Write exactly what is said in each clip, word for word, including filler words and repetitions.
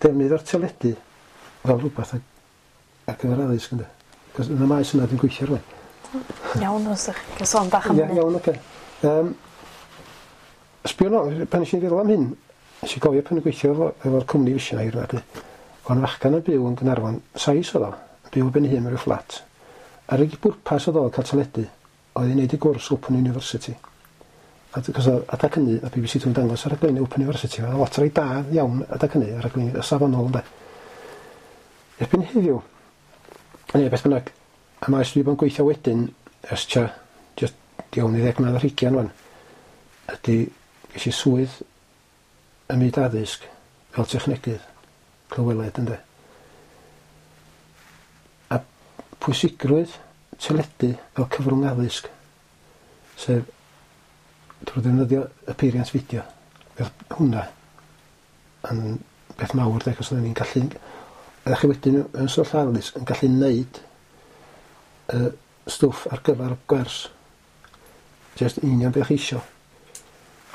Defnydd o'r teledu fel rhywbeth ar, ar gyfer addysg, ynde. Cos yn y maes yna dwi'n gweithio rwan. Iawn, os ydych chi'n sôn bach am Ie, hynny. Iawn, oce. Um, sbio nôl, pan nes i feddwl am hyn, nes i gofio pan o'n gweithio efo, efo'r cwmni Vision Hire yma, o'n fachgan yn byw yn Gaernarfon, Sais oedd o, yn byw ben ei hun mewn rhyw fflat. A'r unig bwrpas oedd o cael teledu, oedd i wneud y gwrs Open University. A cos adag hynny, a B B C Two'n dangos ar raglenni Open University, oedd lot rei da iawn adag hynny, ar raglenni safonol, ynde. Erbyn heddiw, neu beth bynnag, a maes dwi wedi bod yn gweithio wedyn, ers tua, just iawn i ddeg mlynedd ar hugian wan, ydy, ges i swydd ym myd addysg fel technegydd, clyweled, ynde. A pwysigrwydd teledu fel cyfrwng addysg, sef drwy ddefnyddio y peiriant fideo, fel hwnna yn beth mawr, de, cos oedden ni'n gallu, ydych chi wedyn yn sefyllfa addysg yn gallu neud y stwff ar gyfer gwers. Just union beth chi isio.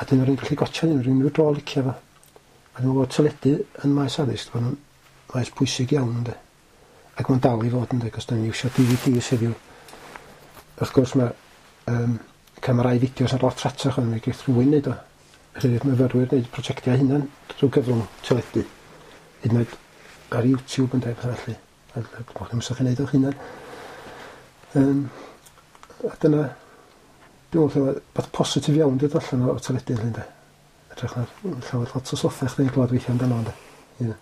A dyn nhw'n gallu gwatsio hyn, rhywun rhyw dro licio fo. A dwi'n meddwl bod teledu yn maes addysg, bod yn maes pwysig iawn, ynde. Ac mae'n dal i fod, ynde, cos da ni'n iwsio D V Ds heddiw. Wrth gwrs mae um, camerâu fideos yn lot rhatach, ond mi geith rhywun neud o. Felly myfyrwyr wneud prosiectiau hunan drwy gyfrwng teledu. Hyd yn oed ar YouTube, ynde, pethau felly. A dwi'n meddwl chi'n neud o'ch hunan. Um, a dyna, dwi'n meddwl bod positif iawn dod allan o teledu, ynde. Edrych ar llawer lot o stwff chdi'n glwad weithio amdano, ynde. Ie.